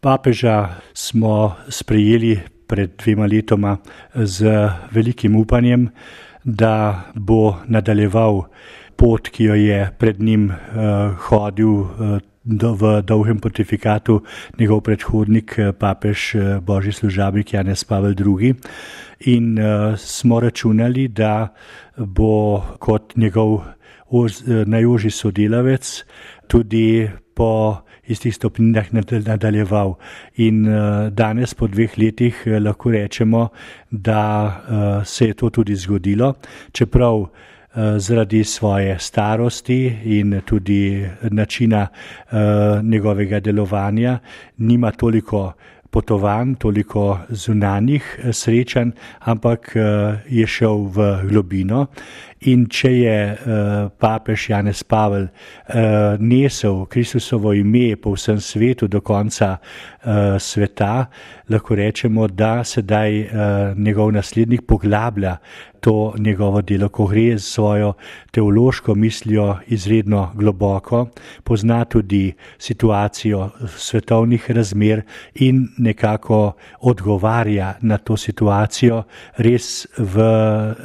Papeža smo sprejeli pred 2 letoma z velikim upanjem, da bo nadaljeval pot, ki jo je pred njim hodil v dolgem pontifikatu njegov predhodnik, papež božji služabnik Janez Pavel II. In smo računali, da bo kot njegov najožji sodelavec tudi po istih stopnjah nadaljeval. In danes po 2 letih lahko rečemo, da se je to tudi zgodilo, čeprav zaradi svoje starosti in tudi načina njegovega delovanja nima toliko potovanj, toliko zunanjih srečanj, ampak je šel v globino. In če je papež Janez Pavel nesel Kristusovo ime po vsem svetu do konca sveta, lahko rečemo, da sedaj njegov naslednik poglablja to njegovo delo, ko gre z svojo teološko mislijo izredno globoko, pozna tudi situacijo svetovnih razmer in nekako odgovarja na to situacijo res v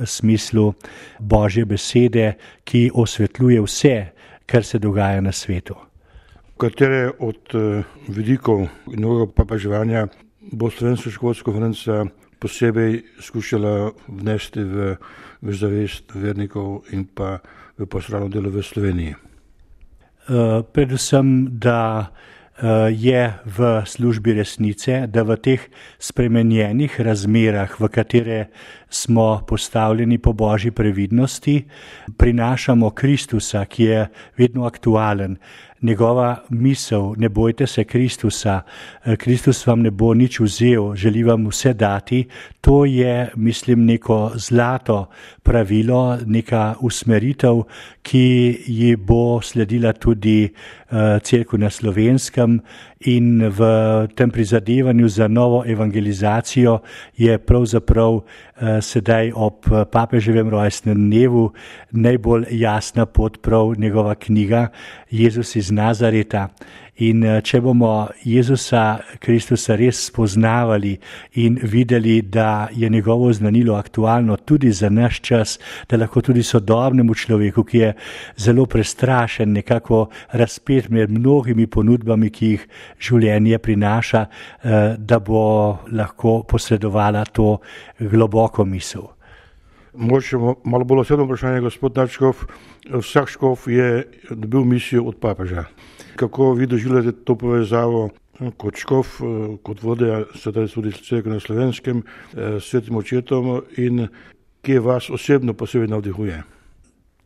smislu Božje besede, ki osvetljuje vse, kar se dogaja na svetu. Katere od vidikov novega papeževanja bo Slovenska škofovska konferenca posebej skušala vnesti v zavest vernikov in pa v pastoralno delo v Sloveniji? Predvsem, da je v službi resnice, da v teh spremenjenih razmerah, v katere smo postavljeni po božji previdnosti, prinašamo Kristusa, ki je vedno aktualen. Njegova misel, ne bojte se Kristusa, Kristus vam ne bo nič vzel, želi vam vse dati, to je, mislim, neko zlato pravilo, neka usmeritev, ki ji bo sledila tudi Cerkev na Slovenskem, in v tem prizadevanju za novo evangelizacijo je pravzaprav sedaj ob papeževem rojstnem dnevu najbolj jasna pot prav njegova knjiga Jezus iz Nazareta. In če bomo Jezusa Kristusa res spoznavali in videli, da je njegovo znanilo aktualno tudi za naš čas, da lahko tudi sodobnemu človeku, ki je zelo prestrašen, nekako razpet med mnogimi ponudbami, ki jih življenje prinaša, da bo lahko posredovala to globoko misel. Mogoče malo bolj osebno vprašanje, gospod nadškof. Vsak škof je dobil misijo od papeža. Kako vi doživljate to povezavo kot škof, kot vodja sedaj tudi Cerkve na Slovenskem, s Svetim očetom, in kje vas osebno posebej navdihuje?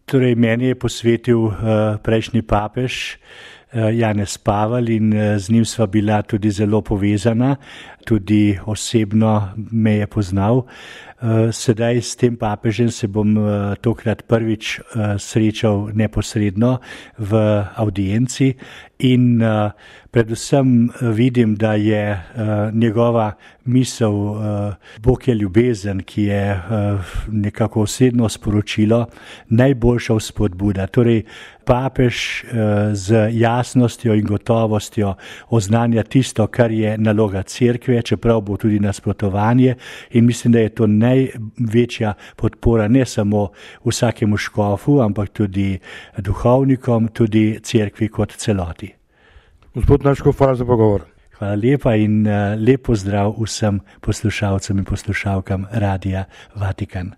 Torej, meni je posvetil prejšnji papež Janez Pavel in z njim sva bila tudi zelo povezana, tudi osebno me je poznal. Sedaj s tem papežem se bom tokrat prvič srečal neposredno v avdienci in predvsem vidim, da je njegova misel Bog je ljubezen, ki je nekako osebno sporočilo, najboljša vzpodbuda. Torej, papež z jasnostjo in gotovostjo oznanja tisto, kar je naloga Cerkve, čeprav bo tudi nasprotovanje, in mislim, da je to največja podpora ne samo vsakemu škofu, ampak tudi duhovnikom, tudi Cerkvi kot celoti. Gospod nadškof, hvala za pogovor. Hvala lepa in lep pozdrav vsem poslušalcem in poslušalkam Radia Vatikan.